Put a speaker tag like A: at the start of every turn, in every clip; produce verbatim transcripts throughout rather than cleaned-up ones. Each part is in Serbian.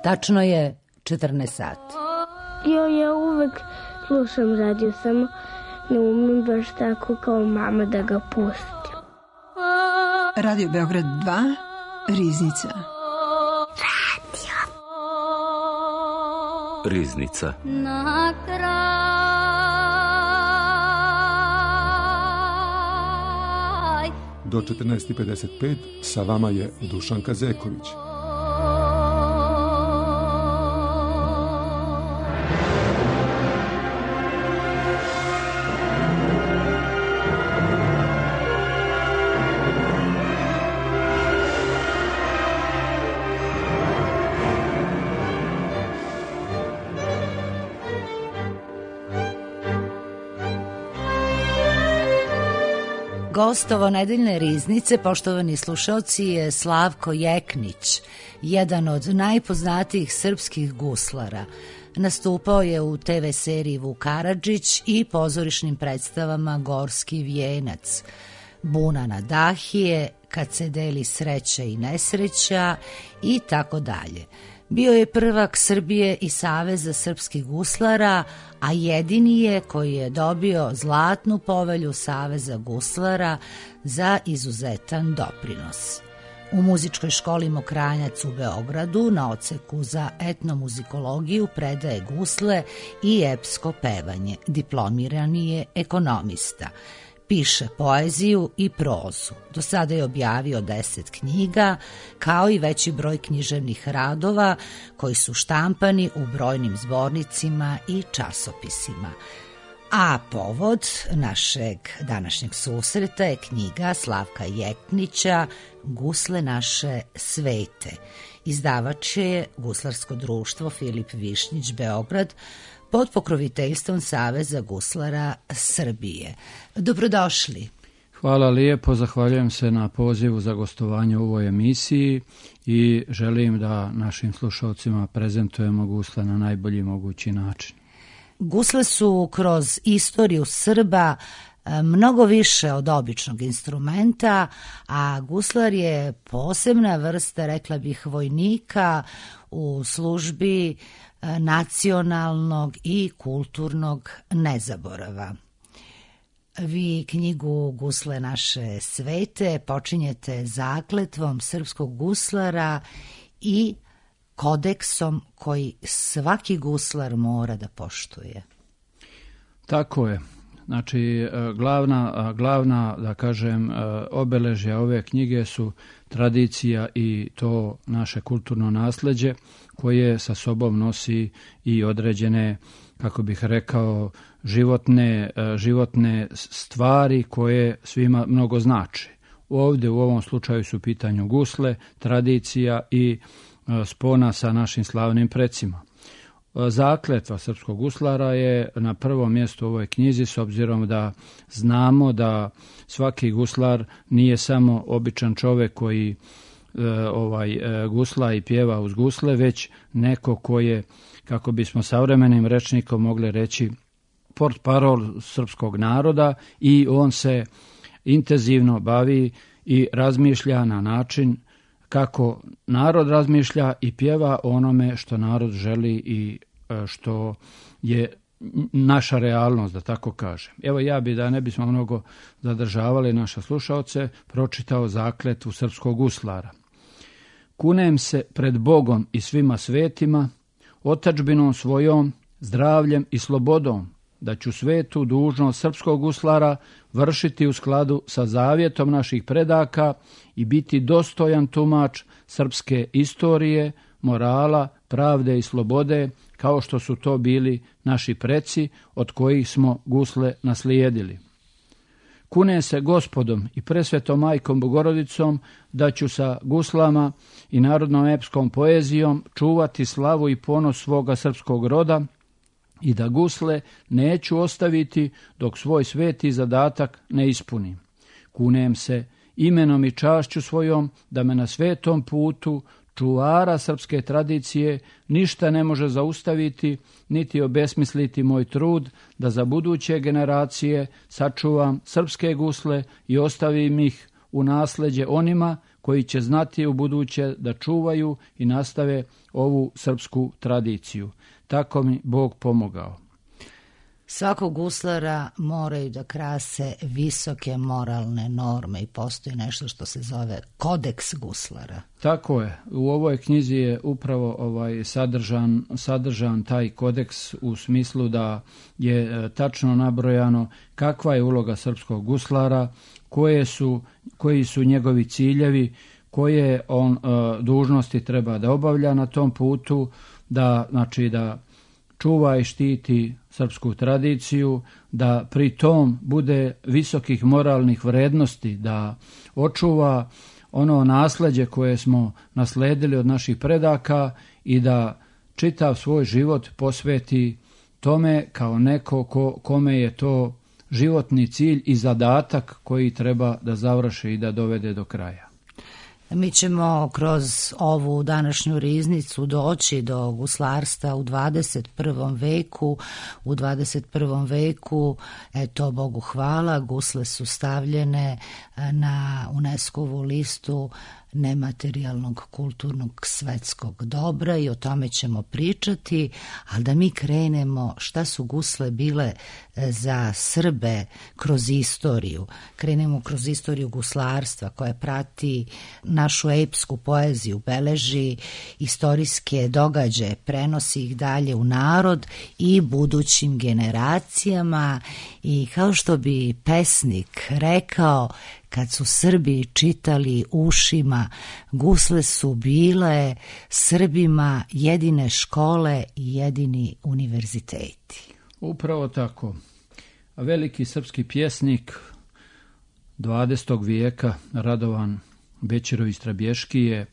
A: Tačno je četrnaest sati.
B: Jo, ja uvek slušam radio, samo ne umem baš tako kao mama da ga pustim.
C: Radio Beograd dva, Riznica.
B: Radio.
D: Riznica.
E: Na kraj
F: do četrnaest i pedeset pet sa vama je Dušanka Zeković.
A: Gost ovo nedeljne Riznice, poštovani slušalci, je Slavko Jeknić, jedan od najpoznatijih srpskih guslara. Nastupao je u te ve seriji Vuk Karadžić i pozorišnim predstavama Gorski vijenac, Buna na Dahije, Kad se deli sreća i nesreća i tako dalje. Bio je prvak Srbije i Saveza srpskih guslara, a jedini je koji je dobio zlatnu povelju Saveza guslara za izuzetan doprinos. U muzičkoj školi Mokranjac u Beogradu na odseku za etnomuzikologiju predaje gusle i epsko pevanje. Diplomirani je ekonomista. Piše poeziju i prozu. Do sada je objavio deset knjiga, kao i veći broj književnih radova koji su štampani u brojnim zbornicima i časopisima. A povod našeg današnjeg susreta je knjiga Slavka Jeknića Gusle naše svete. Izdavač je Guslarsko društvo Filip Višnjić Beograd, pod pokroviteljstvom Saveza guslara Srbije. Dobrodošli.
G: Hvala lijepo, zahvaljujem se na pozivu za gostovanje u ovoj emisiji i želim da našim slušalcima prezentujemo gusle na najbolji mogući način.
A: Gusle su kroz istoriju Srba mnogo više od običnog instrumenta, a guslar je posebna vrsta, rekla bih, vojnika u službi nacionalnog i kulturnog nezaborava. Vi knjigu Gusle naše svete počinjete zakletvom srpskog guslara i kodeksom koji svaki guslar mora da poštuje.
G: Tako je. Znači, glavna, glavna, da kažem, obeležja ove knjige su tradicija i to naše kulturno nasleđe koje sa sobom nosi i određene, kako bih rekao, životne, životne stvari koje svima mnogo znače. Ovdje u ovom slučaju su u pitanju gusle, tradicija i spona sa našim slavnim precima. Zakletva srpskog guslara je na prvom mjestu u ovoj knjizi, s obzirom da znamo da svaki guslar nije samo običan čovjek koji e, ovaj e, gusla i pjeva uz gusle, već neko ko je, kako bismo savremenim rečnikom mogli reći, portparol srpskog naroda i on se intenzivno bavi i razmišlja na način kako narod razmišlja i pjeva onome što narod želi i što je naša realnost, da tako kažem. Evo ja bi, da ne bismo mnogo zadržavali naše slušaoce, pročitao zakletvu srpskog guslara. Kunem se pred Bogom i svima svetima, otadžbinom svojom, zdravljem i slobodom, da ću svetu dužnost srpskog guslara vršiti u skladu sa zavjetom naših predaka i biti dostojan tumač srpske istorije, morala, pravde i slobode, kao što su to bili naši preci od kojih smo gusle naslijedili. Kunem se Gospodom i presvetom majkom Bogorodicom da ću sa guslama i narodnom epskom poezijom čuvati slavu i ponos svoga srpskog roda i da gusle neću ostaviti dok svoj sveti zadatak ne ispunim. Kunem se imenom i čašću svojom da me na svetom putu čuvara srpske tradicije ništa ne može zaustaviti niti obesmisliti moj trud da za buduće generacije sačuvam srpske gusle i ostavim ih u nasleđe onima koji će znati u buduće da čuvaju i nastave ovu srpsku tradiciju. Tako mi Bog pomogao.
A: Svakog guslara moraju da krase visoke moralne norme i postoji nešto što se zove kodeks guslara.
G: Tako je. U ovoj knjizi je upravo ovaj sadržan, sadržan taj kodeks u smislu da je tačno nabrojano kakva je uloga srpskog guslara, koje su, koji su njegovi ciljevi, koje on uh, dužnosti treba da obavlja na tom putu, da znači da čuva i štiti srpsku tradiciju, da pri tom bude visokih moralnih vrednosti, da očuva ono nasleđe koje smo nasledili od naših predaka i da čitav svoj život posveti tome kao neko ko, kome je to životni cilj i zadatak koji treba da završi i da dovede do kraja.
A: Mi ćemo kroz ovu današnju riznicu doći do guslarstva u dvadeset prvom veku. U dvadeset prvom veku, eto, Bogu hvala, gusle su stavljene na UNESCO-vu listu nematerijalnog kulturnog svetskog dobra i o tome ćemo pričati, ali da mi krenemo šta su gusle bile za Srbe kroz istoriju. Krenemo kroz istoriju guslarstva koja prati našu epsku poeziju, beleži istorijske događaje, prenosi ih dalje u narod i budućim generacijama i kao što bi pesnik rekao, kad su Srbi čitali ušima, gusle su bile Srbima jedine škole i jedini univerziteti.
G: Upravo tako. Veliki srpski pjesnik dvadesetog vijeka Radovan Bećirović Trabješki je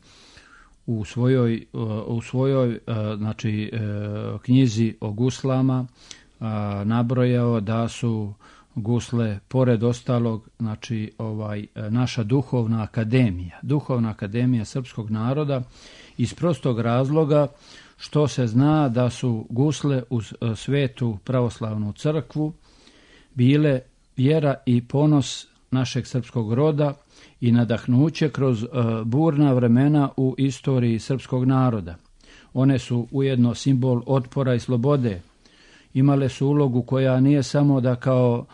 G: u svojoj, u svojoj znači, knjizi o guslama nabrojao da su gusle, pored ostalog, znači ovaj naša duhovna akademija, duhovna akademija srpskog naroda, iz prostog razloga što se zna da su gusle u svetu pravoslavnu crkvu bile vjera i ponos našeg srpskog roda i nadahnuće kroz uh, burna vremena u istoriji srpskog naroda. One su ujedno simbol otpora i slobode. Imale su ulogu koja nije samo da kao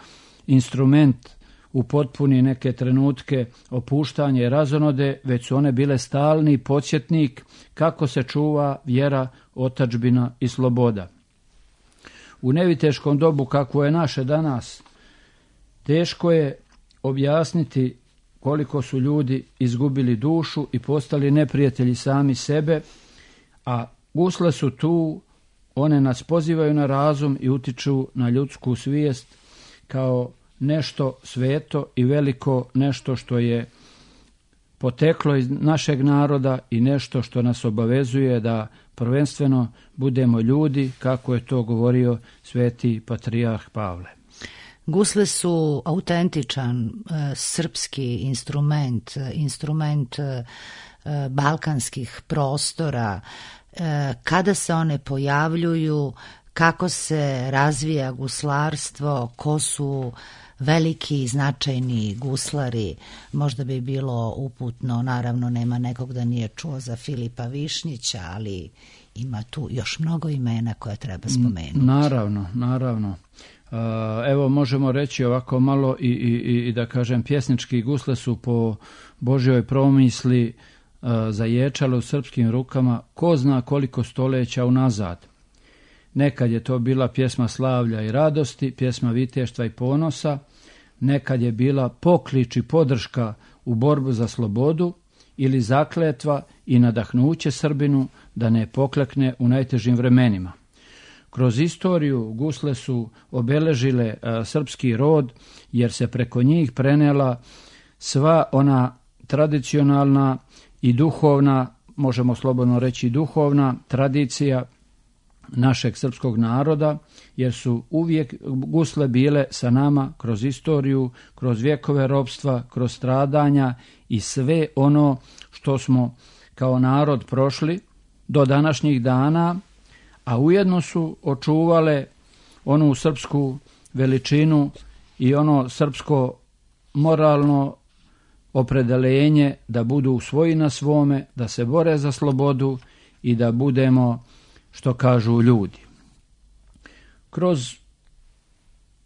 G: instrument upotpuni neke trenutke opuštanja i razonode, već su one bile stalni podsjetnik kako se čuva vjera, otadžbina i sloboda. U neviteškom dobu kakvo je naše danas, teško je objasniti koliko su ljudi izgubili dušu i postali neprijatelji sami sebe, a gusle su tu, one nas pozivaju na razum i utiču na ljudsku svijest kao nešto sveto i veliko, nešto što je poteklo iz našeg naroda i nešto što nas obavezuje da prvenstveno budemo ljudi, kako je to govorio sveti patrijarh Pavle.
A: Gusle su autentičan e, srpski instrument, instrument e, balkanskih prostora. E, kada se one pojavljuju, kako se razvija guslarstvo, ko su veliki i značajni guslari, možda bi bilo uputno, naravno nema nekog da nije čuo za Filipa Višnjića, ali ima tu još mnogo imena koja treba spomenuti.
G: Naravno, naravno. Evo možemo reći ovako malo i, i, i da kažem pjesnički gusle su po Božjoj promisli zaječale u srpskim rukama ko zna koliko stoljeća unazad. Nekad je to bila pjesma slavlja i radosti, pjesma viteštva i ponosa, nekad je bila poklič i podrška u borbu za slobodu ili zakletva i nadahnuće Srbinu da ne poklekne u najtežim vremenima. Kroz istoriju gusle su obeležile a, srpski rod jer se preko njih prenela sva ona tradicionalna i duhovna, možemo slobodno reći duhovna tradicija našeg srpskog naroda, jer su uvijek gusle bile sa nama kroz istoriju, kroz vjekove ropstva, kroz stradanja i sve ono što smo kao narod prošli do današnjih dana, a ujedno su očuvale onu srpsku veličinu i ono srpsko moralno opredelenje da budu svoji na svome, da se bore za slobodu i da budemo, što kažu, ljudi. Kroz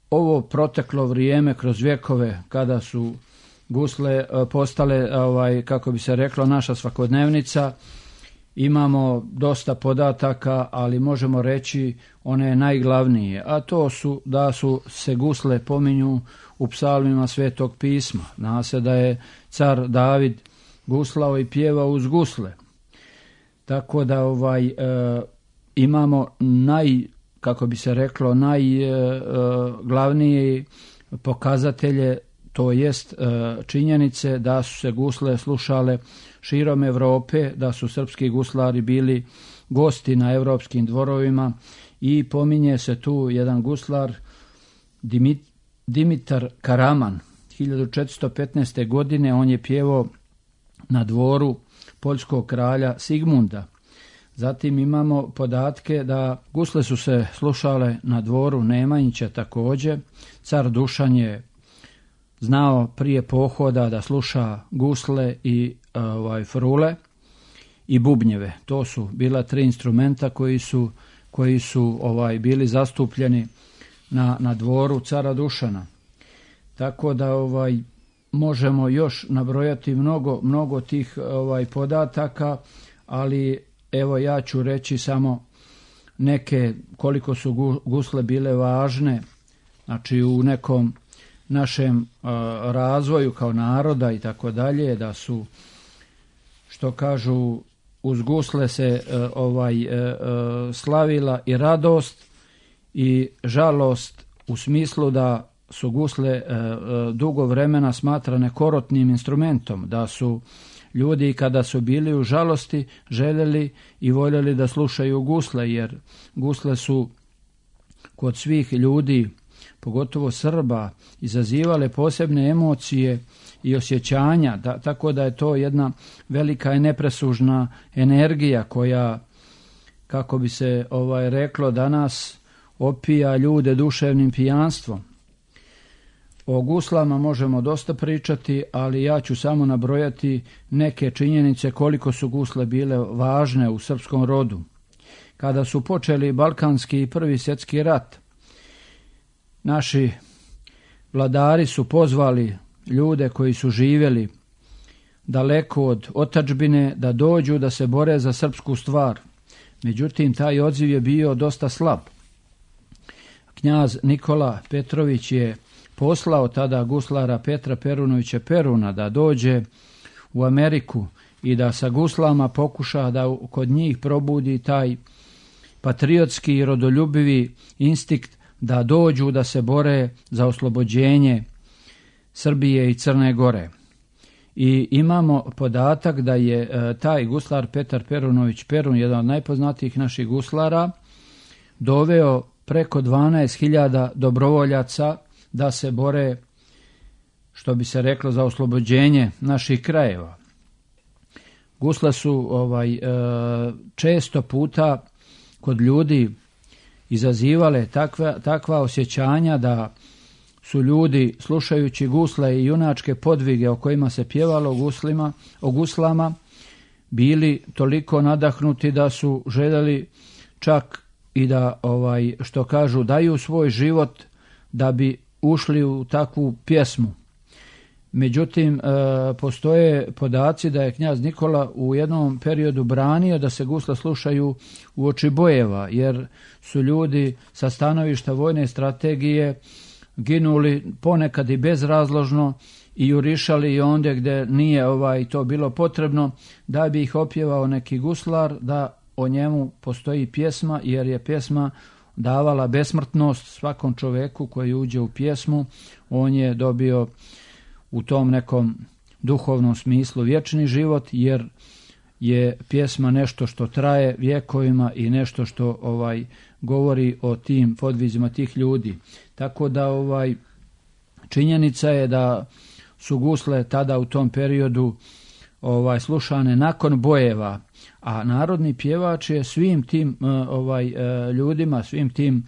G: ovo proteklo vrijeme, kroz vjekove, kada su gusle postale, ovaj, kako bi se reklo, naša svakodnevnica, imamo dosta podataka, ali možemo reći one najglavnije, a to su da su se gusle pominju u psalmima Svetog pisma. Zna se da je car David guslao i pjevao uz gusle. Tako da ovaj e, imamo naj, kako bi se reklo, najglavnije e, pokazatelje, to jest e, činjenice da su se gusle slušale širom Europe, da su srpski guslari bili gosti na europskim dvorovima i pominje se tu jedan guslar Dimit, Dimitar Karaman. hiljadu četiristo petnaeste. godine on je pjevao na dvoru poljskog kralja Sigmunda. Zatim imamo podatke da gusle su se slušale na dvoru Nemanjića također. Car Dušan je znao prije pohoda da sluša gusle i ovaj, frule i bubnjeve. To su bila tri instrumenta koji su, koji su ovaj, bili zastupljeni na, na dvoru cara Dušana. Tako da ovaj, možemo još nabrojati mnogo, mnogo tih ovaj, podataka, ali evo ja ću reći samo neke, koliko su gusle bile važne, znači u nekom našem uh, razvoju kao naroda i tako dalje, da su, što kažu, uz gusle se uh, ovaj uh, slavila i radost i žalost, u smislu da su gusle uh, dugo vremena smatrane korotnim instrumentom, da su ljudi kada su bili u žalosti željeli i voljeli da slušaju gusle, jer gusle su kod svih ljudi, pogotovo Srba, izazivale posebne emocije i osjećanja, da, tako da je to jedna velika i nepresužna energija koja, kako bi se ovaj reklo danas, opija ljude duševnim pijanstvom. O guslama možemo dosta pričati, ali ja ću samo nabrojati neke činjenice koliko su gusle bile važne u srpskom rodu. Kada su počeli Balkanski i Prvi svjetski rat, naši vladari su pozvali ljude koji su živjeli daleko od otadžbine da dođu da se bore za srpsku stvar. Međutim, taj odziv je bio dosta slab. Knjaz Nikola Petrović je poslao tada guslara Petra Perunovića Peruna da dođe u Ameriku i da sa guslama pokuša da kod njih probudi taj patriotski i rodoljubivi instinkt da dođu da se bore za oslobođenje Srbije i Crne Gore. I imamo podatak da je e, taj guslar Petar Perunović Perun, jedan od najpoznatijih naših guslara, doveo preko dvanaest hiljada dobrovoljaca da se bore, što bi se reklo, za oslobođenje naših krajeva. Gusle su ovaj, e, često puta kod ljudi izazivale takva, takva osjećanja da su ljudi, slušajući gusle i junačke podvige o kojima se pjevalo o, guslima, o guslama, bili toliko nadahnuti da su željeli čak i da, ovaj, što kažu, daju svoj život da bi ušli u takvu pjesmu. Međutim, postoje podaci da je knjaz Nikola u jednom periodu branio da se gusle slušaju u oči bojeva, jer su ljudi sa stanovišta vojne strategije ginuli ponekad i bezrazložno i jurišali i ondje gdje nije ovaj to bilo potrebno, da bi ih opjevao neki guslar, da o njemu postoji pjesma, jer je pjesma davala besmrtnost svakom čoveku koji uđe u pjesmu. On je dobio u tom nekom duhovnom smislu vječni život, jer je pjesma nešto što traje vjekovima i nešto što ovaj govori o tim podvizima tih ljudi. Tako da ovaj činjenica je da su gusle tada u tom periodu ovaj slušane nakon bojeva, a narodni pjevač je svim tim ovaj ljudima, svim tim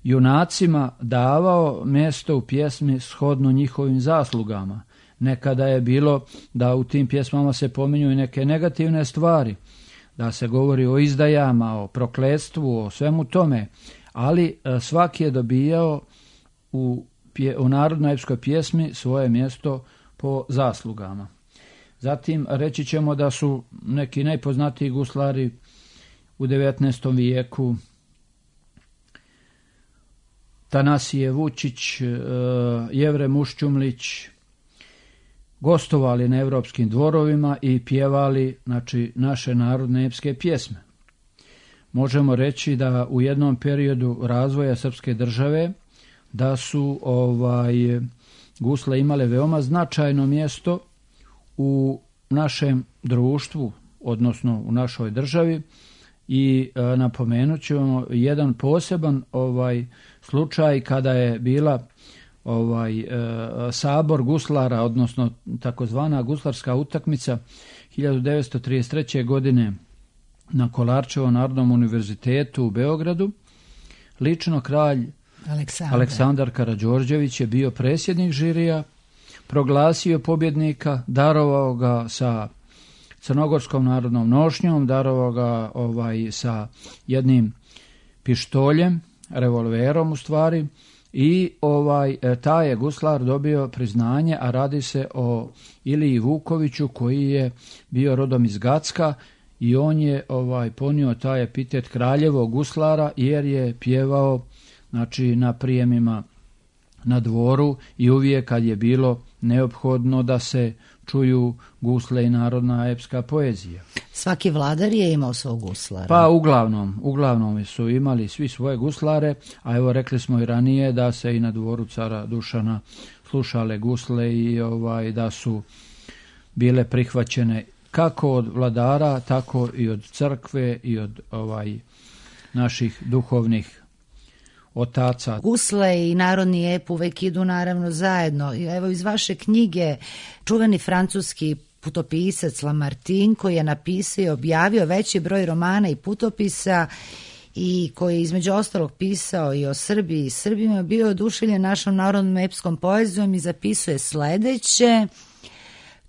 G: junacima davao mjesto u pjesmi shodno njihovim zaslugama. nekada je bilo da u tim pjesmama se pominju i neke negativne stvari, da se govori o izdajama, o prokletstvu, o svemu tome, ali svaki je dobijao u, pje, u narodnoj epskoj pjesmi svoje mjesto po zaslugama. Zatim reći ćemo da su neki najpoznatiji guslari u devetnaestom vijeku Tanasije Vučić, Jevre Muščumlić gostovali na evropskim dvorovima i pjevali, znači, naše narodne epske pjesme. Možemo reći da u jednom periodu razvoja srpske države da su ovaj gusle imale veoma značajno mjesto u našem društvu, odnosno u našoj državi, i e, napomenut ćemo jedan poseban ovaj slučaj kada je bila ovaj e, sabor guslara, odnosno takozvana guslarska utakmica hiljadu devetsto trideset treće. godine na Kolarčevom narodnom univerzitetu u Beogradu. Lično kralj Aleksandar, Aleksandar Karađorđević je bio predsjednik žirija, proglasio pobjednika, darovao ga sa crnogorskom narodnom nošnjom, darovao ga ovaj, sa jednim pištoljem, revolverom u stvari, i ovaj taj je guslar dobio priznanje, a radi se o Iliji Vukoviću koji je bio rodom iz Gacka i on je ovaj ponio taj epitet kraljevog guslara jer je pjevao, znači, na prijemima na dvoru i uvijek kad je bilo neophodno da se čuju gusle i narodna epska poezija.
A: Svaki vladar je imao svog guslara.
G: Pa uglavnom, uglavnom su imali svi svoje guslare, a evo rekli smo i ranije da se i na dvoru cara Dušana slušale gusle i ovaj da su bile prihvaćene kako od vladara, tako i od crkve i od ovaj naših duhovnih otaca.
A: Gusle i narodni ep uvek idu naravno zajedno. Evo iz vaše knjige čuveni francuski putopisac Lamartine, koji je napisao i objavio veći broj romana i putopisa i koji je između ostalog pisao i o Srbiji i Srbima, bio oduševljen našom narodnom epskom poezijom i zapisuje sledeće: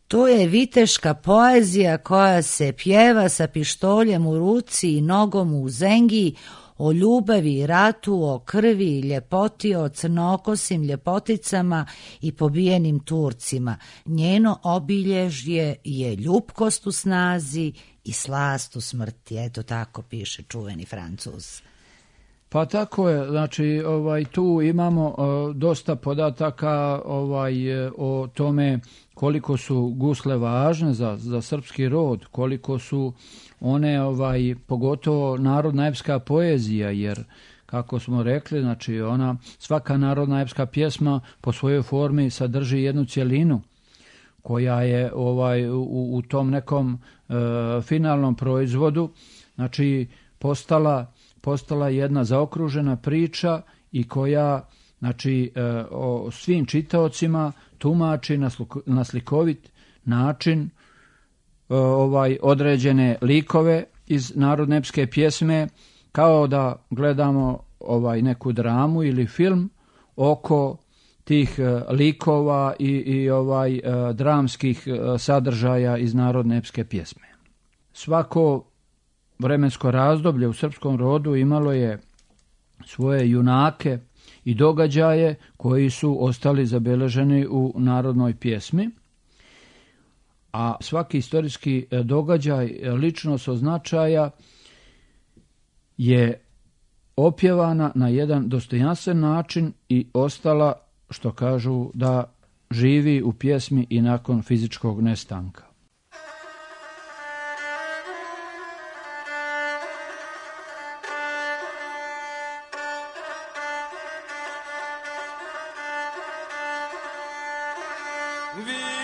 A: to je viteška poezija koja se pjeva sa pištoljem u ruci i nogom u zengi, o ljubavi i ratu, o krvi i ljepoti, o crnokosim ljepoticama i pobijenim Turcima. Njeno obilježje je ljupkost u snazi i slast u smrti. Eto tako piše čuveni Francuz.
G: Pa tako je, znači ovaj tu imamo uh, dosta podataka ovaj o tome koliko su gusle važne za, za srpski rod, koliko su one ovaj pogotovo narodna epska poezija, jer kako smo rekli, znači ona svaka narodna epska pjesma po svojoj formi sadrži jednu cjelinu koja je ovaj u, u tom nekom uh, finalnom proizvodu, znači postala postala jedna zaokružena priča i koja, znači, o svim čitaocima tumači na slikovit način ovaj određene likove iz narodne epske pjesme, kao da gledamo ovaj neku dramu ili film oko tih likova i, i ovaj dramskih sadržaja iz narodne epske pjesme. Svako vremensko razdoblje u srpskom rodu imalo je svoje junake i događaje koji su ostali zabeleženi u narodnoj pjesmi, a svaki istorijski događaj ličnost od značaja je opjevana na jedan dostojanstven način i ostala, što kažu, da živi u pjesmi i nakon fizičkog nestanka.
D: Vila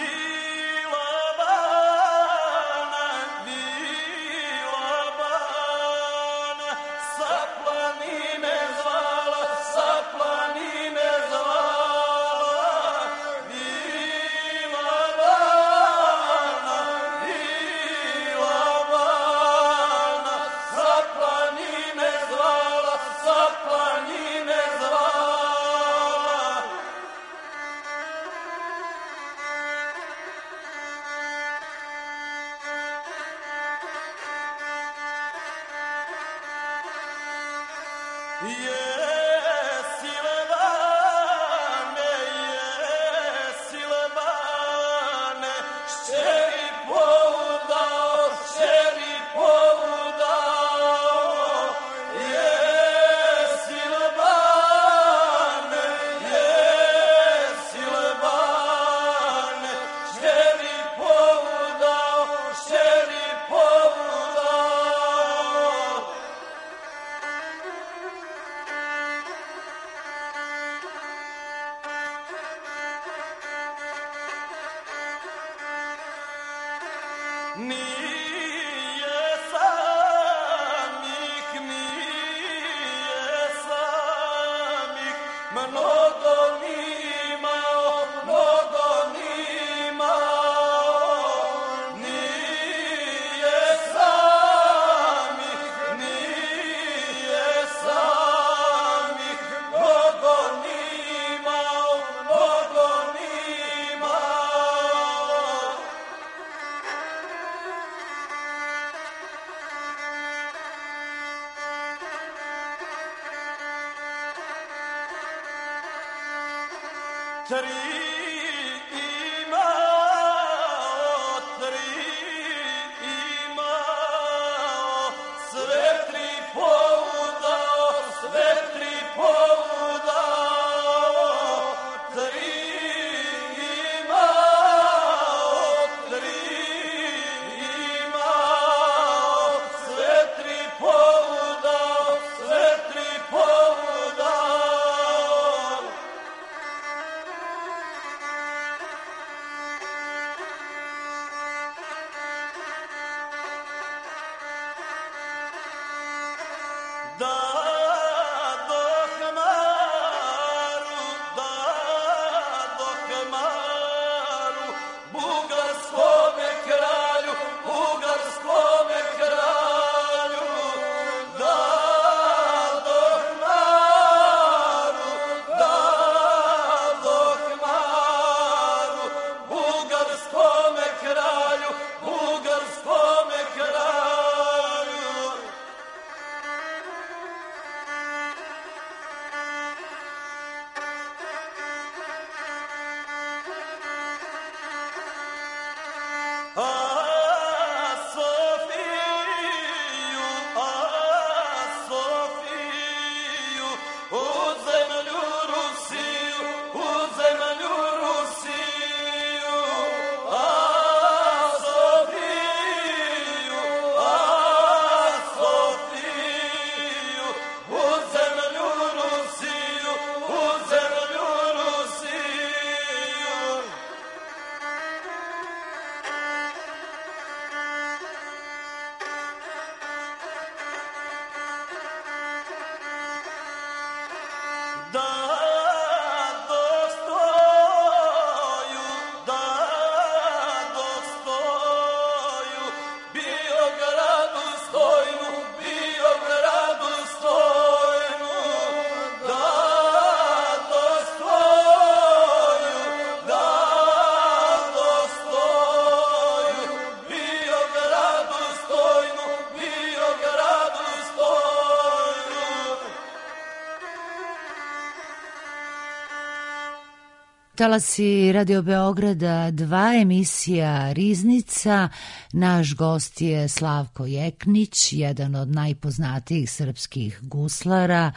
A: Talasi Radio Beograda dva, emisija Riznica. Naš gost je Slavko Jeknić, jedan od najpoznatijih srpskih guslara,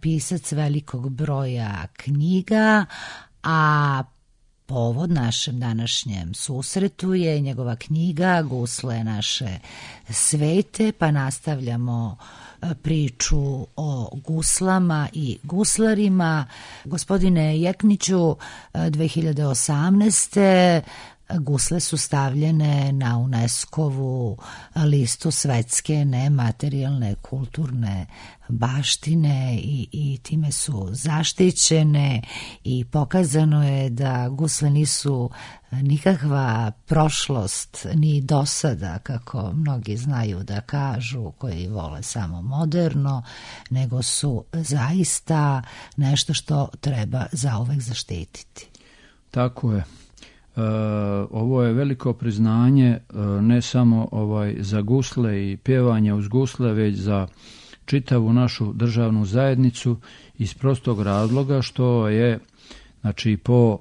A: pisac velikog broja knjiga, a povod našem današnjem susretu je njegova knjiga Gusle naše svete, pa nastavljamo priču o guslama i guslarima. Gospodine Jekniću, dve hiljade osamnaeste. gusle su stavljene na UNESCO-vu listu svetske nematerijalne kulturne baštine i, i time su zaštićene i pokazano je da gusle nisu nikakva prošlost ni dosada, kako mnogi znaju da kažu, koji vole samo moderno, nego su zaista nešto što treba zauvek zaštititi.
G: Tako je. Uh, ovo je veliko priznanje uh, ne samo ovaj za gusle i pjevanje uz gusle, već za čitavu našu državnu zajednicu iz prostog razloga što je, znači, po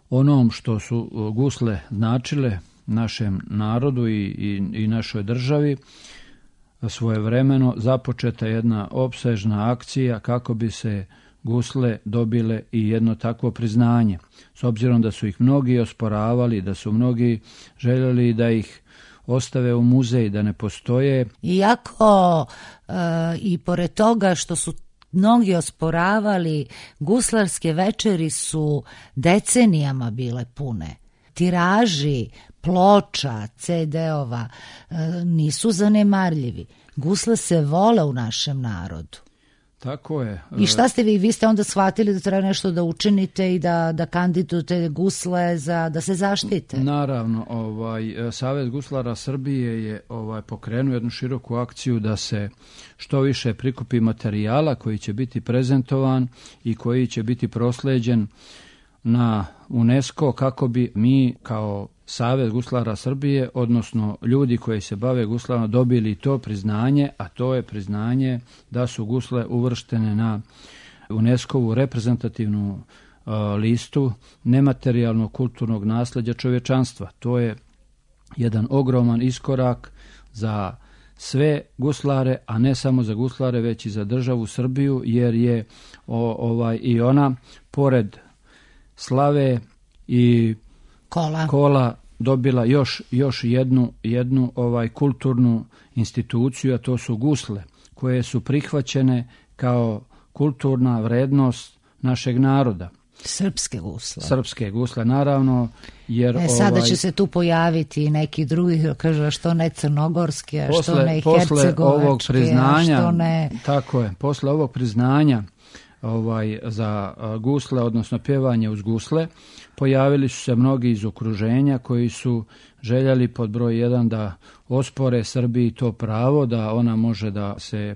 G: onom što su gusle značile našem narodu i, i, i našoj državi, svojevremeno započeta jedna opsežna akcija kako bi se gusle dobile i jedno takvo priznanje. S obzirom da su ih mnogi osporavali, da su mnogi željeli da ih ostave u muzej, da ne postoje.
A: Iako e, i pored toga što su mnogi osporavali, guslarske večeri su decenijama bile pune. Tiraži, ploča, ce de-ova e, nisu zanemarljivi. Gusle se vole u našem narodu.
G: Tako je.
A: I šta ste vi? Vi ste onda shvatili da treba nešto da učinite i da, da kandidujete gusle za, da se zaštite?
G: Naravno, ovaj, Savez guslara Srbije je ovaj, pokrenuo jednu široku akciju da se što više prikupi materijala koji će biti prezentovan i koji će biti prosleđen na UNESCO kako bi mi kao Savez guslara Srbije, odnosno ljudi koji se bave guslarima, dobili to priznanje, a to je priznanje da su gusle uvrštene na UNESCO-vu reprezentativnu uh, listu nematerijalnog kulturnog nasleđa čovječanstva. To je jedan ogroman iskorak za sve guslare, a ne samo za guslare, već i za državu Srbiju, jer je o, ovaj i ona pored slave i
A: kola,
G: kola dobila još, još jednu, jednu ovaj kulturnu instituciju, a to su gusle, koje su prihvaćene kao kulturna vrednost našeg naroda.
A: Srpske gusle.
G: Srpske gusle, naravno. Jer
A: e, sada
G: ovaj,
A: će se tu pojaviti neki drugi, kaže što ne crnogorski, a
G: posle,
A: što ne hercegovački, a što ne...
G: Tako je, posle ovog priznanja ovaj, za gusle, odnosno pjevanje uz gusle, pojavili su se mnogi iz okruženja koji su željeli pod broj jedan da ospore Srbiji to pravo, da ona može da se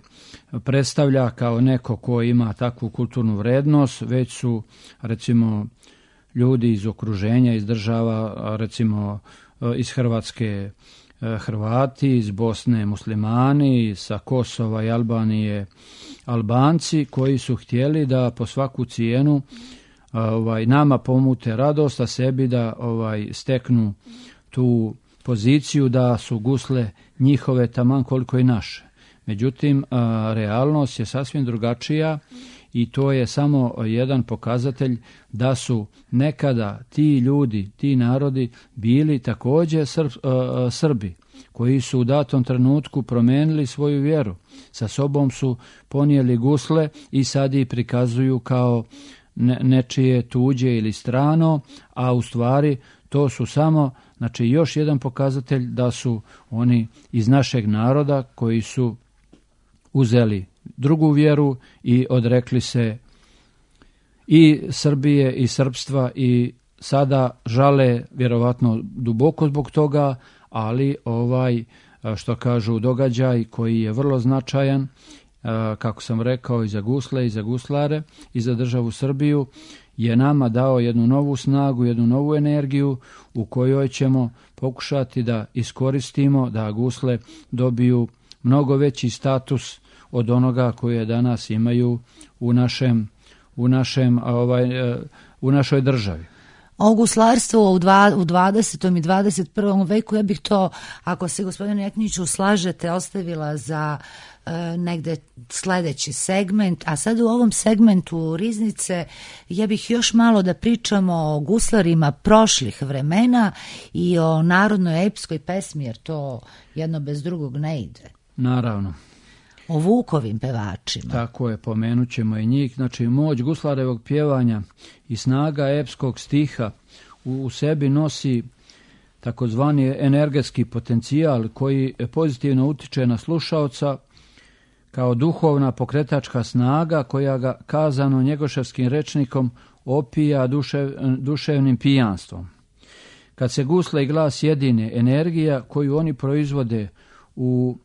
G: predstavlja kao neko ko ima takvu kulturnu vrednost, već su recimo ljudi iz okruženja, iz država, recimo iz Hrvatske Hrvati, iz Bosne Muslimani, sa Kosova i Albanije Albanci, koji su htjeli da po svaku cijenu ovaj, nama pomute radost, a sebi da ovaj, steknu tu poziciju da su gusle njihove taman koliko i naše. Međutim, a, realnost je sasvim drugačija i to je samo jedan pokazatelj da su nekada ti ljudi, ti narodi bili također Srb, a, Srbi, koji su u datom trenutku promijenili svoju vjeru. Sa sobom su ponijeli gusle i sad ih prikazuju kao ne, nečije tuđe ili strano, a u stvari to su samo, znači, još jedan pokazatelj da su oni iz našeg naroda koji su uzeli drugu vjeru i odrekli se i Srbije i srpstva i sada žale vjerovatno duboko zbog toga, ali ovaj, što kažu, događaj koji je vrlo značajan, kako sam rekao, i za gusle i za guslare i za državu Srbiju, je nama dao jednu novu snagu, jednu novu energiju u kojoj ćemo pokušati da iskoristimo da gusle dobiju mnogo veći status od onoga koje danas imaju u našem, u našem, ovaj, u našoj državi.
A: O guslarstvu u, dva, u dvadesetom i dvadeset prvom veku, ja bih to, ako se gospodine Jekniću slažete, ostavila za e, negde sledeći segment, a sad u ovom segmentu Riznice ja bih još malo da pričamo o guslarima prošlih vremena i o narodnoj epskoj pesmi, jer to jedno bez drugog ne ide.
G: Naravno.
A: O Vukovim pevačima.
G: Tako je, pomenut ćemo i njih. Znači, moć guslarevog pjevanja i snaga epskog stiha u, u sebi nosi takozvani energetski potencijal koji pozitivno utiče na slušaoca kao duhovna pokretačka snaga koja ga, kazano njegoševskim rečnikom, opija dušev, duševnim pijanstvom. Kad se gusle i glas jedine, energija koju oni proizvode u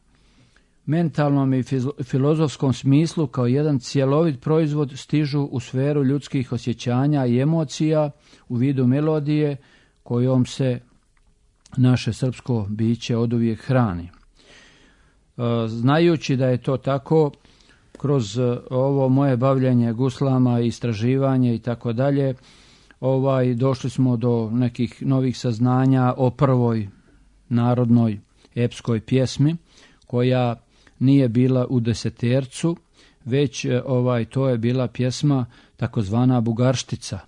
G: mentalnom i filozofskom smislu kao jedan cjelovit proizvod stižu u sferu ljudskih osjećanja i emocija u vidu melodije kojom se naše srpsko biće oduvijek hrani. Znajući da je to tako, kroz ovo moje bavljenje guslama, istraživanje i tako dalje, ovaj došli smo do nekih novih saznanja o prvoj narodnoj epskoj pjesmi, koja nije bila u desetercu, već ovaj to je bila pjesma takozvana Bugarštica.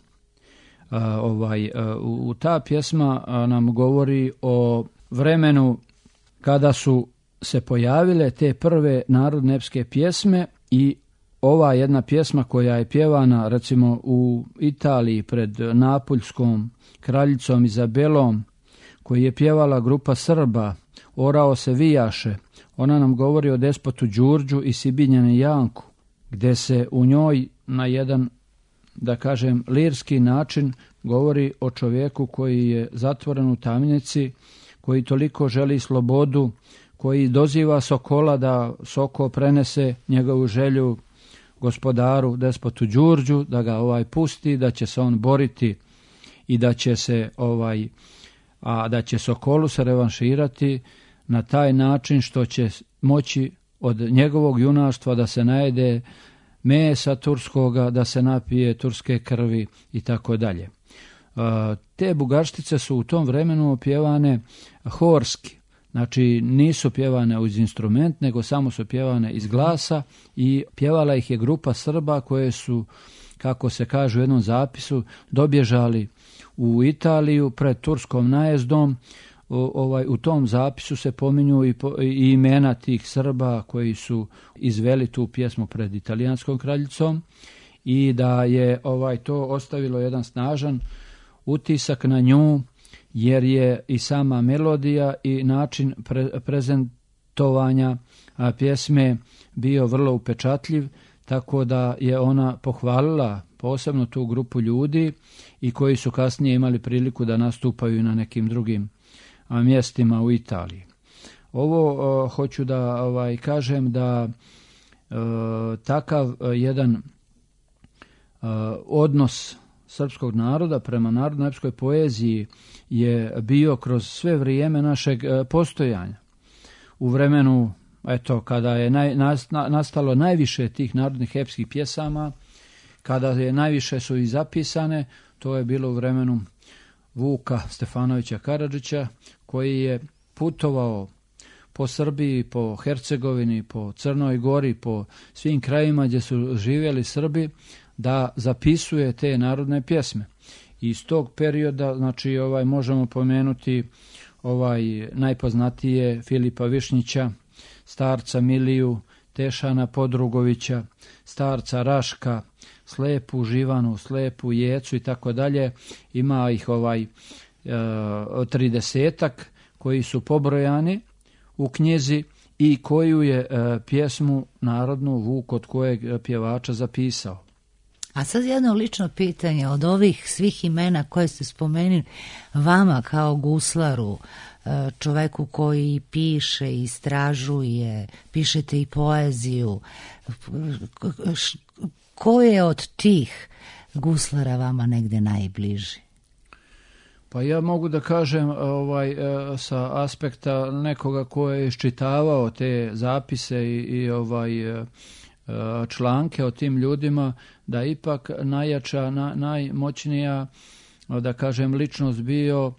G: A, ovaj u ta pjesma nam govori o vremenu kada su se pojavile te prve narodne epske pjesme, i ova jedna pjesma koja je pjevana recimo u Italiji pred Napuljskom kraljicom Izabelom, koju je pjevala grupa Srba, Orao se vijaše, ona nam govori o despotu Đurđu i Sibinjani Janku, gdje se u njoj na jedan, da kažem, lirski način govori o čovjeku koji je zatvoren u tamnici, koji toliko želi slobodu, koji doziva Sokola da Soko prenese njegovu želju gospodaru, despotu Đurđu, da ga ovaj pusti, da će se on boriti i da će se ovaj a da će Sokolu se revanširati na taj način što će moći od njegovog junaštva da se najede mesa turskoga, da se napije turske krvi i tako dalje. Te bugarštice su u tom vremenu pjevane horski, znači nisu pjevane uz instrument, nego samo su pjevane iz glasa, i pjevala ih je grupa Srba koje su, kako se kaže u jednom zapisu, dobježali u Italiju pred turskom najezdom. Ovaj, u tom zapisu se pominju i, po, i imena tih Srba koji su izveli tu pjesmu pred italijanskom kraljicom, i da je ovaj to ostavilo jedan snažan utisak na nju, jer je i sama melodija i način pre, prezentovanja a, pjesme bio vrlo upečatljiv, tako da je ona pohvalila posebno tu grupu ljudi i koji su kasnije imali priliku da nastupaju na nekim drugim a, mjestima u Italiji. Ovo a, hoću da ovaj, kažem da a, takav a, jedan a, odnos srpskog naroda prema narodnoj epskoj poeziji je bio kroz sve vrijeme našeg postojanja. U vremenu, eto, kada je naj, nastalo najviše tih narodnih epskih pjesama, kada je najviše su i zapisane, to je bilo u vremenu Vuka Stefanovića Karadžića, koji je putovao po Srbiji, po Hercegovini, po Crnoj Gori, po svim krajima gdje su živjeli Srbi, da zapisuje te narodne pjesme. Iz tog perioda, znači, ovaj možemo pomenuti ovaj najpoznatije Filipa Višnjića, starca Miliju, Tešana Podrugovića, starca Raška, Slepu Živanu, Slepu Jecu i tako dalje. Ima ih ovaj tridesetak koji su pobrojani u knjizi i koju je e, pjesmu narodnu Vuk od kojeg pjevača zapisao.
A: A sad jedno lično pitanje, od ovih svih imena koje ste spomenuli, vama kao guslaru, čoveku koji piše, istražuje, pišete i poeziju, ko je od tih guslara vama negde najbliži?
G: Pa ja mogu da kažem ovaj, sa aspekta nekoga ko je iščitavao te zapise i, i ovaj članke o tim ljudima, da ipak najjača, na, najmoćnija, da kažem, ličnost bio uh,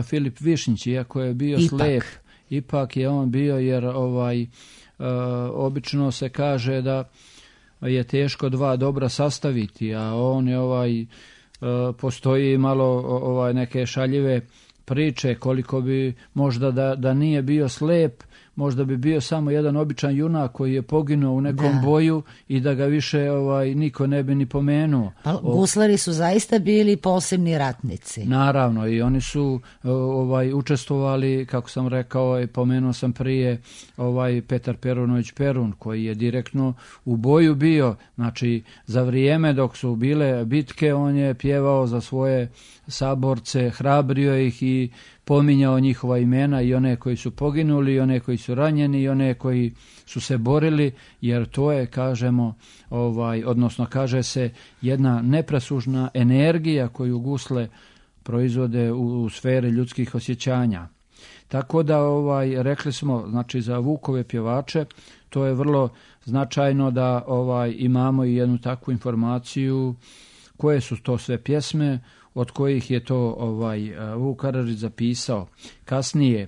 G: Filip Višnjić, iako je bio ipak. slep, ipak je on bio, jer ovaj uh, obično se kaže da je teško dva dobra sastaviti, a on je ovaj uh, postoji malo ovaj neke šaljive priče koliko bi možda da, da nije bio slep, možda bi bio samo jedan običan junak koji je poginuo u nekom da. boju i da ga više ovaj niko ne bi ni pomenuo.
A: Pa guslari su zaista bili posebni ratnici.
G: Naravno, i oni su ovaj učestvovali, kako sam rekao i pomenuo sam prije, ovaj Petar Perunović Perun koji je direktno u boju bio, znači za vrijeme dok su bile bitke on je pjevao za svoje saborce, hrabrio ih i pominjao njihova imena, i one koji su poginuli, i one koji su ranjeni, i one koji su se borili, jer to je, kažemo, ovaj, odnosno kaže se, jedna nepresušna energija koju gusle proizvode u, u sferi ljudskih osjećanja. Tako da ovaj rekli smo, znači za Vukove pjevače, to je vrlo značajno da ovaj imamo i jednu takvu informaciju koje su to sve pjesme od kojih je to ovaj Vuk Karadžić zapisao. Kasnije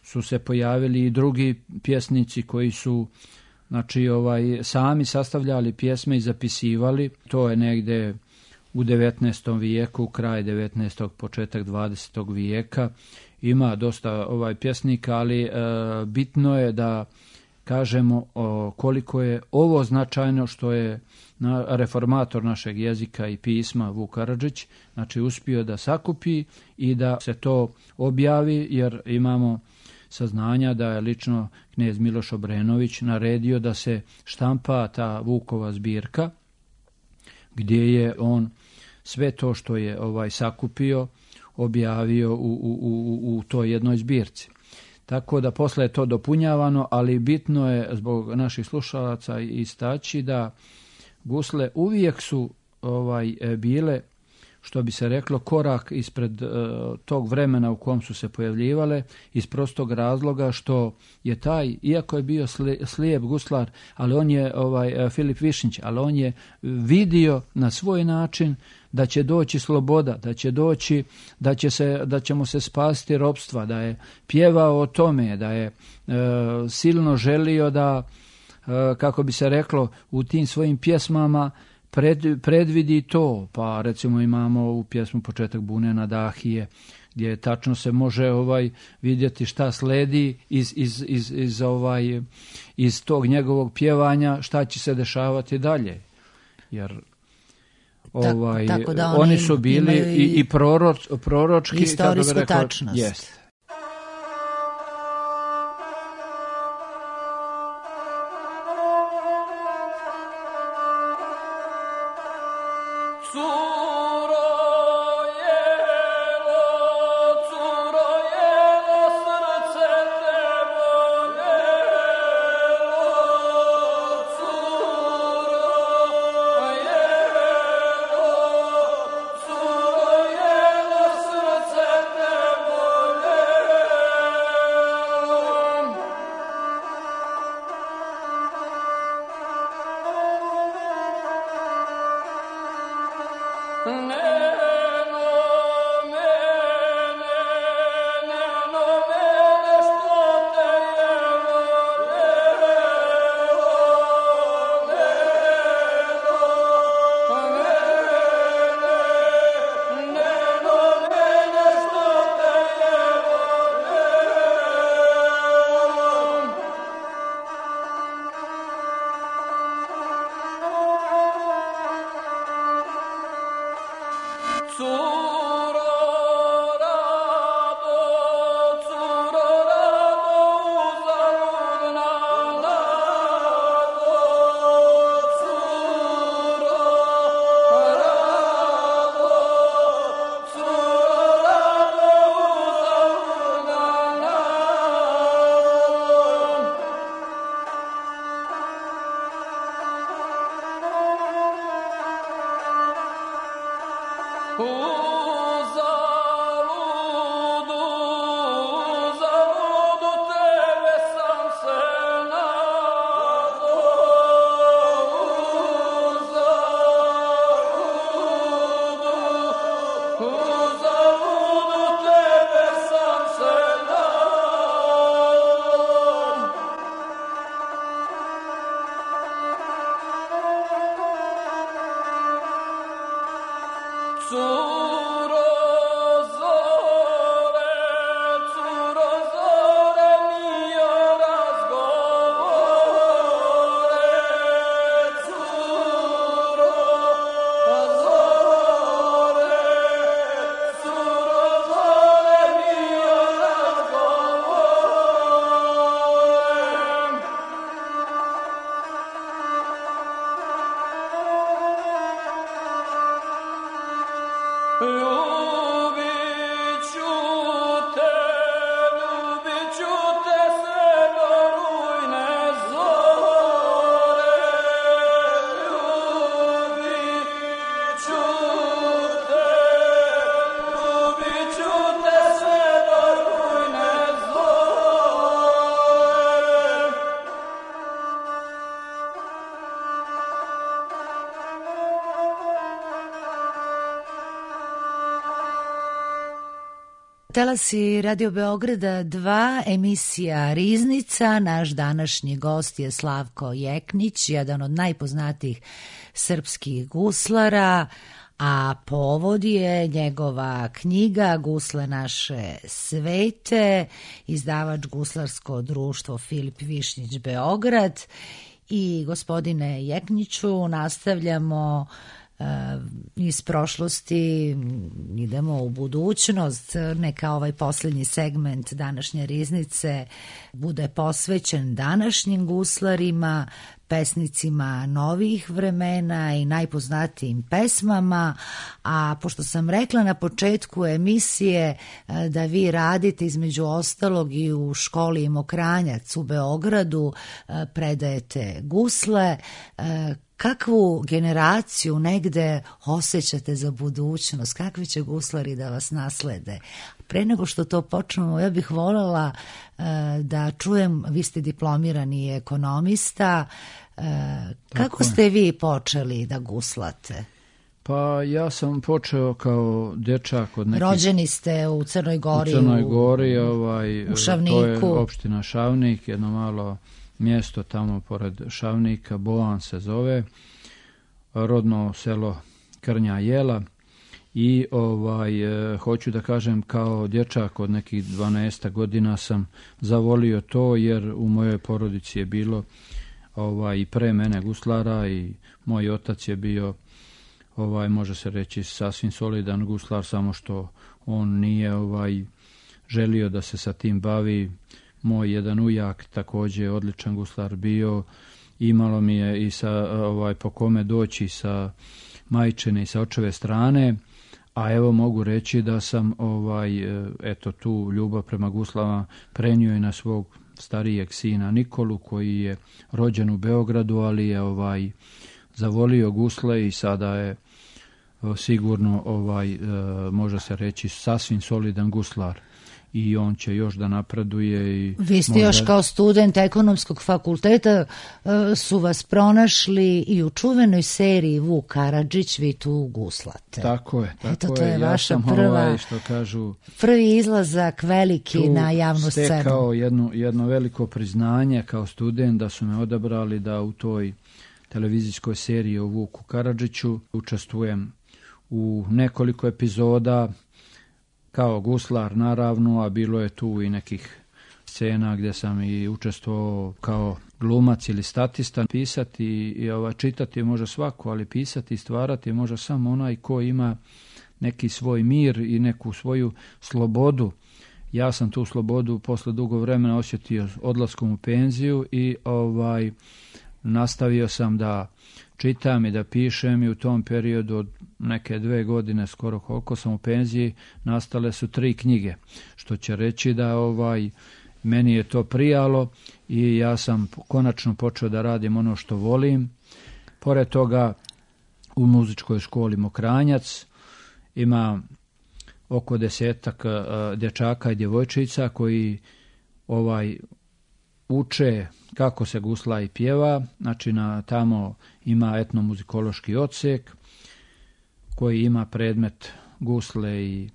G: su se pojavili i drugi pjesnici koji su znači ovaj sami sastavljali pjesme i zapisivali. To je negde u devetnaestom vijeku, kraj devetnaestog, početak dvadesetog vijeka. Ima dosta ovaj pjesnika, ali e, bitno je da kažemo o, koliko je ovo značajno što je na, reformator našeg jezika i pisma Vuk Karadžić, znači uspio da sakupi i da se to objavi, jer imamo saznanja da je lično knez Miloš Obrenović naredio da se štampa ta Vukova zbirka, gdje je on sve to što je ovaj sakupio objavio u, u, u, u toj jednoj zbirci. Tako da posle je to dopunjavano, ali bitno je zbog naših slušalaca istaći da gusle uvijek su ovaj bile, što bi se reklo, korak ispred uh, tog vremena u kom su se pojavljivale, iz prostog razloga što je taj, iako je bio slijep guslar, ali on je ovaj Filip Višnjić, ali on je vidio na svoj način da će doći sloboda, da će doći, da će se, da ćemo se spasiti ropstva, da je pjevao o tome, da je uh, silno želio da, uh, kako bi se reklo, u tim svojim pjesmama Pred, predvidi to, pa recimo imamo u pjesmu Početak bune na Dahije, gdje tačno se može ovaj vidjeti šta sledi iz, iz, iz, iz, ovaj, iz tog njegovog pjevanja, šta će se dešavati dalje. Jer ovaj,
A: tako, tako da oni,
G: oni su bili i, i proroč, proročki,
A: istorijsku
G: rekao,
A: tačnost.
G: Jest.
A: Talasi Radio Beograda dva, emisija Riznica. Naš današnji gost je Slavko Jeknić, jedan od najpoznatijih srpskih guslara, a povod je njegova knjiga Gusle naše svete, izdavač Guslarsko društvo Filip Višnjić Beograd. I gospodine Jekniću, nastavljamo iz prošlosti, idemo u budućnost. Neka ovaj posljednji segment današnje Riznice bude posvećen današnjim guslarima, pesnicima novih vremena i najpoznatijim pesmama. A pošto sam rekla na početku emisije da vi radite između ostalog i u školi Mokranjac u Beogradu, predajete gusle, kakvu generaciju negde osjećate za budućnost? Kakvi će guslari da vas naslede? Pre nego što to počnemo, ja bih voljela uh, da čujem, vi ste diplomirani ekonomista, uh, kako ste vi počeli da guslate?
G: Pa ja sam počeo kao dečak od nekih...
A: Rođeni ste u Crnoj Gori.
G: U Crnoj Gori, ovaj,
A: u Šavniku.
G: To je opština Šavnik, jedno malo mjesto tamo pored Šavnika, Boan se zove, rodno selo Krnja Jela. I ovaj e, hoću da kažem, kao dječak od nekih dvanaest godina sam zavolio to, jer u mojoj porodici je bilo ovaj i pre mene guslara i moj otac je bio, ovaj može se reći, sasvim solidan guslar, samo što on nije ovaj želio da se sa tim bavi. Moj jedan ujak također odličan guslar bio, imalo mi je i sa ovaj po kome doći sa majčine i sa očeve strane. A evo mogu reći da sam ovaj eto tu ljubav prema guslama prenio i na svog starijeg sina Nikolu, koji je rođen u Beogradu, ali je ovaj zavolio gusle i sada je sigurno ovaj može se reći sasvim solidan guslar. I on će još da napreduje. I
A: vi ste
G: možda...
A: još kao student ekonomskog fakulteta su vas pronašli i u čuvenoj seriji Vuk Karadžić, vi tu guslate.
G: Tako je. Tako
A: Eto, to je,
G: je.
A: vaša
G: ja sam
A: prva,
G: ovaj, što kažu,
A: prvi izlazak veliki na javnu scenu.
G: Stekao jedno, jedno veliko priznanje kao student da su me odabrali da u toj televizijskoj seriji o Vuku Karadžiću učestvujem u nekoliko epizoda kao guslar naravno, a bilo je tu i nekih scena gdje sam i učestvovao kao glumac ili statista. Pisati i ova, čitati može svako, ali pisati i stvarati može samo onaj ko ima neki svoj mir i neku svoju slobodu. Ja sam tu slobodu posle dugo vremena osjetio odlaskom u penziju i ovaj nastavio sam da čitam i da pišem i u tom periodu od neke dve godine, skoro koliko sam u penziji, nastale su tri knjige, što će reći da ovaj meni je to prijalo i ja sam konačno počeo da radim ono što volim. Pored toga u muzičkoj školi Mokranjac ima oko desetak uh, dječaka i djevojčica koji ovaj uče kako se gusla i pjeva. Znači na tamo ima etnomuzikološki odsek koji ima predmet gusle i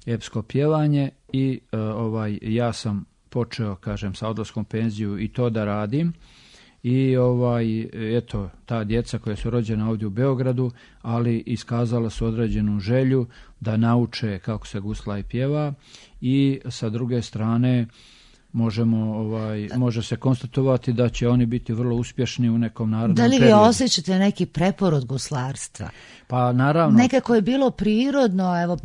G: epsko pjevanje i uh, ovaj ja sam počeo, kažem, sa odlaskom penziju i to da radim. I ovaj eto ta djeca koja su rođena ovdje u Beogradu, ali iskazala su određenu želju da nauče kako se gusla i pjeva i sa druge strane možemo ovaj može se konstatovati da će oni biti vrlo uspješni u nekom narednom periodu. Da li vi
A: periodu. Osjećate neki preporod guslarstva?
G: Pa naravno.
A: Nekako je bilo prirodno, evo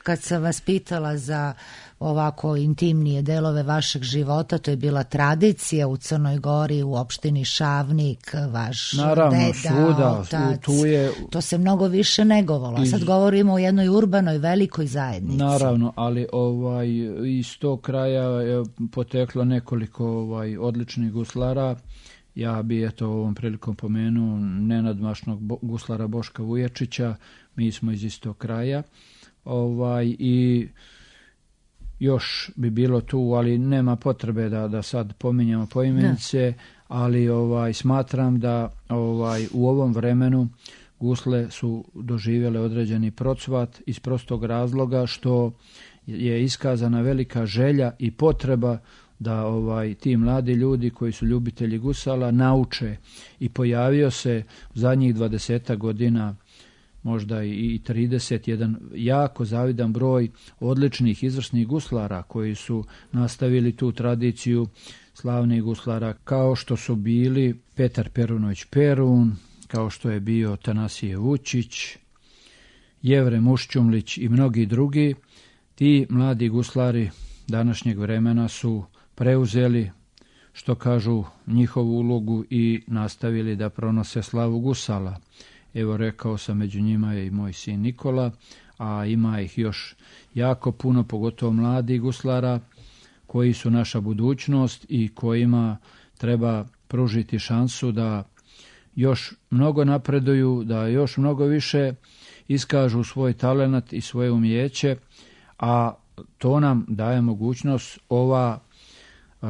A: kad sam vas pitala za ovako intimnije delove vašeg života, to je bila tradicija u Crnoj Gori, u opštini Šavnik, vaš
G: naravno,
A: deda,
G: svuda,
A: otac,
G: tu je,
A: to se mnogo više negovalo. Iz, sad govorimo o jednoj urbanoj velikoj zajednici.
G: Naravno, ali ovaj iz tog kraja je poteklo nekoliko ovaj odličnih guslara. Ja bi eto ovom prilikom pomenuo nenadmašnog bo, guslara Boška Vujačića, mi smo iz istog kraja. Ovaj i još bi bilo tu, ali nema potrebe da da sad pominjemo poimenice, ali ovaj smatram da ovaj u ovom vremenu gusle su doživjele određeni procvat iz prostog razloga što je iskazana velika želja i potreba da ovaj ti mladi ljudi koji su ljubitelji gusala nauče, i pojavio se u zadnjih dvadeset godina, možda i trideset, jedan jako zavidan broj odličnih izvrsnih guslara koji su nastavili tu tradiciju slavnih guslara, kao što su bili Petar Perunović Perun, kao što je bio Tanasije Vučić, Jevre Mušćumlić i mnogi drugi. Ti mladi guslari današnjeg vremena su preuzeli, što kažu, njihovu ulogu i nastavili da pronose slavu gusala. Evo, rekao sam, među njima je i moj sin Nikola, a ima ih još jako puno, pogotovo mladi guslara koji su naša budućnost i kojima treba pružiti šansu da još mnogo napreduju, da još mnogo više iskažu svoj talenat i svoje umijeće, a to nam daje mogućnost ova,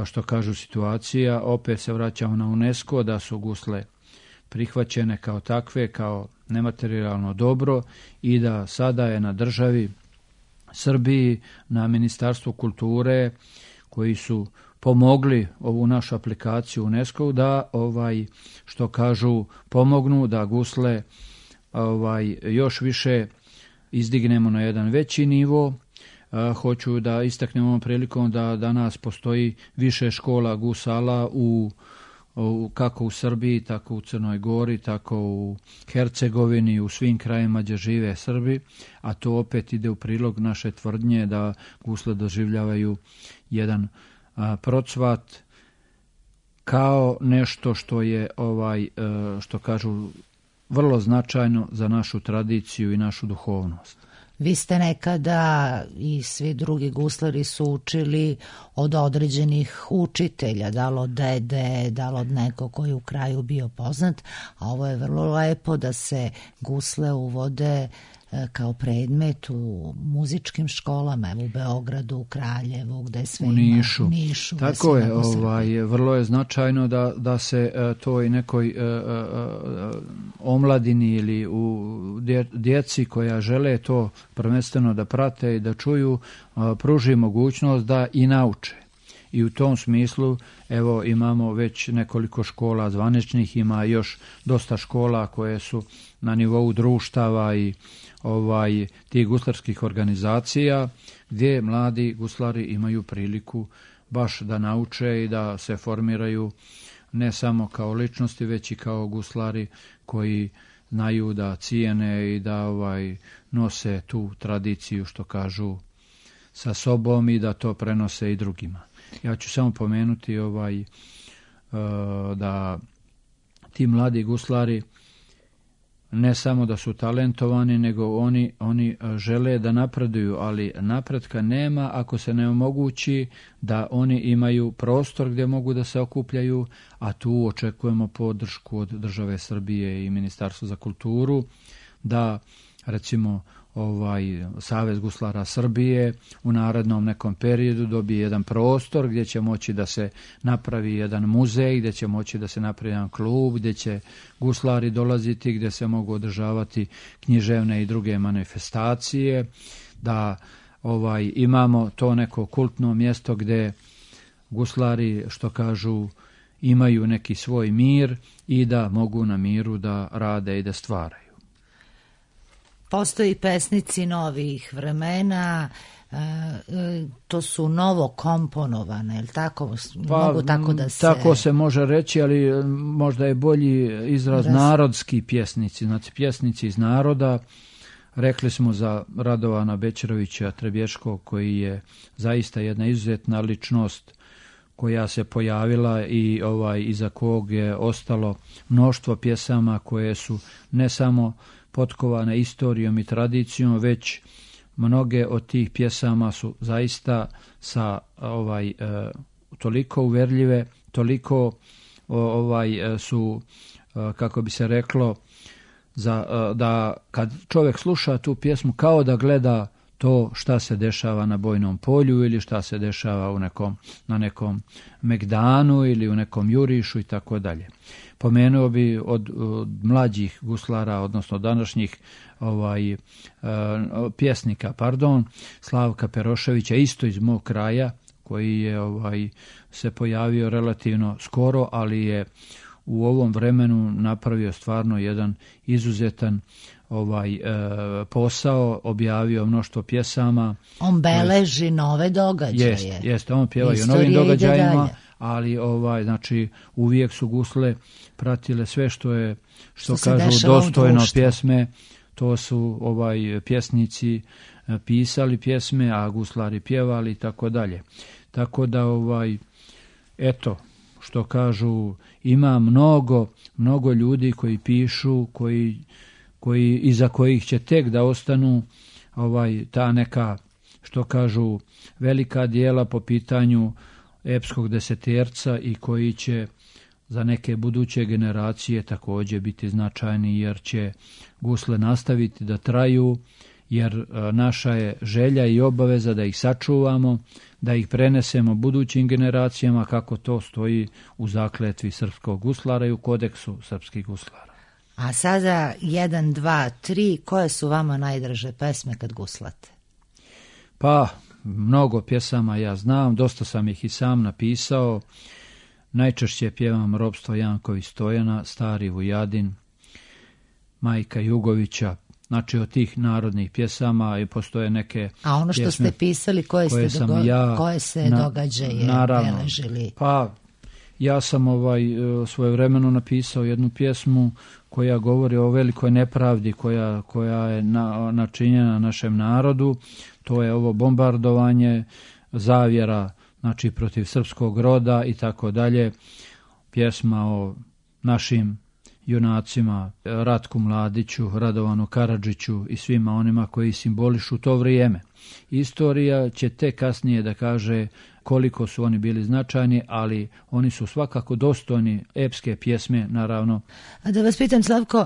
G: što kažu, situacija. Opet se vraćamo na UNESCO, da su gusle prihvaćene kao takve, kao nematerijalno dobro, i da sada je na državi Srbiji, na Ministarstvu kulture, koji su pomogli ovu našu aplikaciju UNESCO, da ovaj, što kažu, pomognu da gusle ovaj još više izdignemo na jedan veći nivo. Hoću da istaknem ovom prilikom da danas postoji više škola gusala u, u kako u Srbiji, tako u Crnoj Gori, tako u Hercegovini, u svim krajima gdje žive Srbi, a to opet ide u prilog naše tvrdnje da gusle doživljavaju jedan a, procvat kao nešto što je ovaj a, što kažu vrlo značajno za našu tradiciju i našu duhovnost.
A: Vi ste nekada i svi drugi guslari su učili od određenih učitelja, da li od dede, da li od nekog koji je u kraju bio poznat, a ovo je vrlo lepo da se gusle uvode kao predmet u muzičkim školama, evo u Beogradu, u Kraljevu, gde sve
G: u
A: ima,
G: Nišu.
A: U Nišu.
G: Tako je, ovaj, vrlo je značajno da, da se uh, toj nekoj uh, uh, omladini ili u dje, djeci koja žele to prvenstveno da prate i da čuju, uh, pruži mogućnost da i nauče. I u tom smislu, evo, imamo već nekoliko škola zvaničnih, ima još dosta škola koje su na nivou društava i ovaj tih guslarskih organizacija, gdje mladi guslari imaju priliku baš da nauče i da se formiraju ne samo kao ličnosti, već i kao guslari koji znaju da cijene i da ovaj nose tu tradiciju, što kažu, sa sobom i da to prenose i drugima. Ja ću samo pomenuti ovaj uh, da ti mladi guslari ne samo da su talentovani, nego oni, oni žele da napreduju, ali napretka nema ako se ne omogući da oni imaju prostor gdje mogu da se okupljaju, a tu očekujemo podršku od države Srbije i Ministarstva za kulturu, da recimo ovaj Savez guslara Srbije u narednom nekom periodu dobije jedan prostor gdje će moći da se napravi jedan muzej, gdje će moći da se napravi jedan klub, gdje će guslari dolaziti, gdje se mogu održavati književne i druge manifestacije, da ovaj imamo to neko kultno mjesto gdje guslari, što kažu, imaju neki svoj mir i da mogu na miru da rade i da stvaraju.
A: Postoji pesnici novih vremena, e, to su novo komponovane, ili tako?
G: Pa,
A: mogu tako da se...
G: Tako se može reći, ali možda je bolji izraz Raz... narodski pjesnici, znači pjesnici iz naroda. Rekli smo za Radovana Bećerovića Trebješkog, koji je zaista jedna izuzetna ličnost koja se pojavila i ovaj iza kog je ostalo mnoštvo pjesama koje su ne samo potkovane istorijom i tradicijom, već mnoge od tih pjesama su zaista sa ovaj e, toliko uverljive, toliko o, ovaj e, su e, kako bi se reklo za, e, da kad čovjek sluša tu pjesmu kao da gleda to šta se dešava na bojnom polju ili šta se dešava u nekom, na nekom megdanu ili u nekom jurišu i tako dalje. Pomenuo bi od, od mlađih guslara, odnosno današnjih ovaj, uh, pjesnika, pardon, Slavka Peroševića, isto iz mog kraja, koji je ovaj, se pojavio relativno skoro, ali je u ovom vremenu napravio stvarno jedan izuzetan ovaj e, posao, objavio mnoštvo pjesama.
A: On beleži nove događaje.
G: Jest, jest, on pjeva i o novim događajima, ali ovaj, znači, uvijek su gusle pratile sve što je, što, što kažu, dostojno pjesme. To su ovaj pjesnici pisali pjesme, a guslari pjevali i tako dalje. Tako da, ovaj, eto, što kažu, ima mnogo, mnogo ljudi koji pišu, koji, koji iza kojih će tek da ostanu ovaj, ta neka, što kažu, velika dijela po pitanju epskog deseterca i koji će za neke buduće generacije također biti značajni, jer će gusle nastaviti da traju, jer naša je želja i obaveza da ih sačuvamo, da ih prenesemo budućim generacijama, kako to stoji u zakletvi srpskog guslara i u kodeksu srpskih guslara.
A: A sada jedan, dva, tri, koje su vama najdraže pesme kad guslate?
G: Pa, mnogo pjesama ja znam, dosta sam ih i sam napisao. Najčešće pjevam Ropstvo Janković Stojana, Stari Vujadin, Majka Jugovića. Znači, od tih narodnih pjesama i postoje neke.
A: A ono što
G: pjesme
A: ste pisali, koje,
G: koje,
A: ste dogo-
G: ja,
A: koje se
G: na,
A: događaje
G: naravno,
A: beležili? Pa,
G: ja sam ovaj, svojevremeno napisao jednu pjesmu koja govori o velikoj nepravdi koja, koja je na, načinjena našem narodu. To je ovo bombardovanje, zavjera, znači protiv srpskog roda i tako dalje. Pjesma o našim junacima, Ratku Mladiću, Radovanu Karadžiću i svima onima koji simbolišu to vrijeme. Istorija će tek kasnije da kaže koliko su oni bili značajni, ali oni su svakako dostojni epske pjesme, naravno.
A: A da vas pitam, Slavko,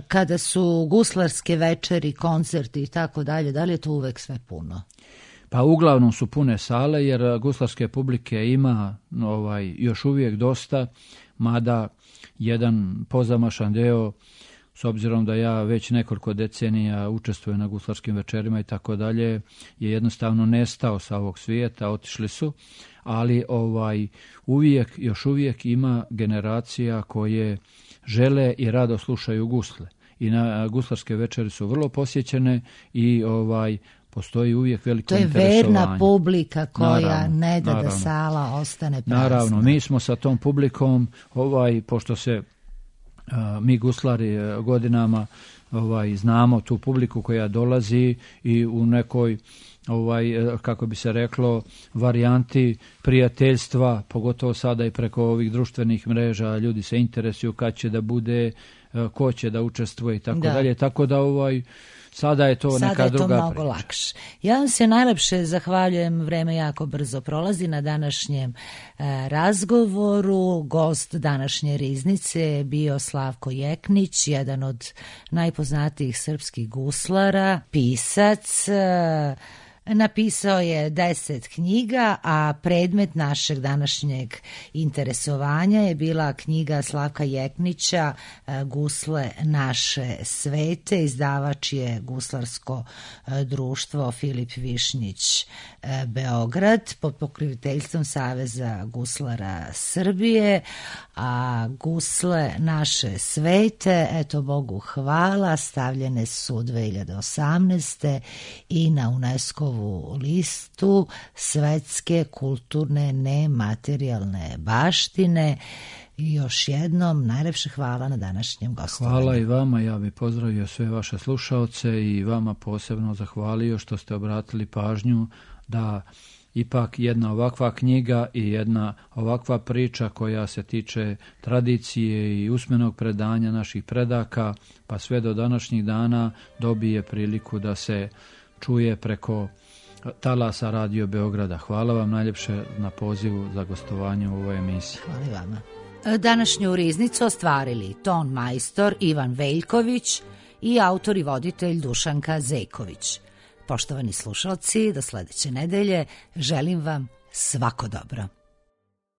A: kada su guslarske večeri, koncerti i tako dalje, da li je to uvek sve puno?
G: Pa uglavnom su pune sale, jer guslarske publike ima ovaj, još uvijek dosta, mada jedan pozamašan deo, s obzirom da ja već nekoliko decenija učestvujem na guslarskim večerima i tako dalje, je jednostavno nestao sa ovog svijeta, otišli su, ali ovaj uvijek, još uvijek ima generacija koje žele i rado slušaju gusle. I na guslarske večeri su vrlo posjećene i ovaj postoji uvijek veliko interesovanje.
A: To je verna publika koja
G: naravno,
A: ne da
G: naravno.
A: da sala ostane prazna.
G: Naravno, mi smo sa tom publikom, ovaj, pošto se a, mi guslari a, godinama ovaj, znamo tu publiku koja dolazi i u nekoj, ovaj, kako bi se reklo, varijanti prijateljstva, pogotovo sada i preko ovih društvenih mreža, ljudi se interesuju kad će da bude, a, ko će da učestvuje i tako
A: da.
G: dalje, tako da ovaj sada je to
A: Sada
G: neka
A: je to
G: druga
A: mnogo
G: priča.
A: lakše. Ja vam se najlepše zahvaljujem, vreme jako brzo prolazi, na današnjem e, razgovoru. Gost današnje riznice je bio Slavko Jeknić, jedan od najpoznatijih srpskih guslara, pisac. E, Napisao je deset knjiga, a predmet našeg današnjeg interesovanja je bila knjiga Slavka Jeknića Gusle naše svete. Izdavač je Guslarsko društvo Filip Višnjić Beograd pod pokroviteljstvom Saveza guslara Srbije, a Gusle naše svete, eto Bogu hvala, stavljene su dve hiljade osamnaeste. i na UNESCO listu svetske kulturne nematerijalne baštine. I još jednom najlepše hvala na današnjem gostovanju.
G: Hvala i vama, ja bih pozdravio sve vaše slušaoce i vama posebno zahvalio što ste obratili pažnju da ipak jedna ovakva knjiga i jedna ovakva priča koja se tiče tradicije i usmenog predanja naših predaka pa sve do današnjih dana dobije priliku da se čuje preko talasa Radio Beograda. Hvala vam najljepše na pozivu za gostovanje u ovoj emisiji.
A: Hvala i vama. Današnju riznicu ostvarili ton majstor Ivan Veljković i autor i voditelj Dušanka Zejković. Poštovani slušalci, do sledeće nedelje želim vam svako dobro.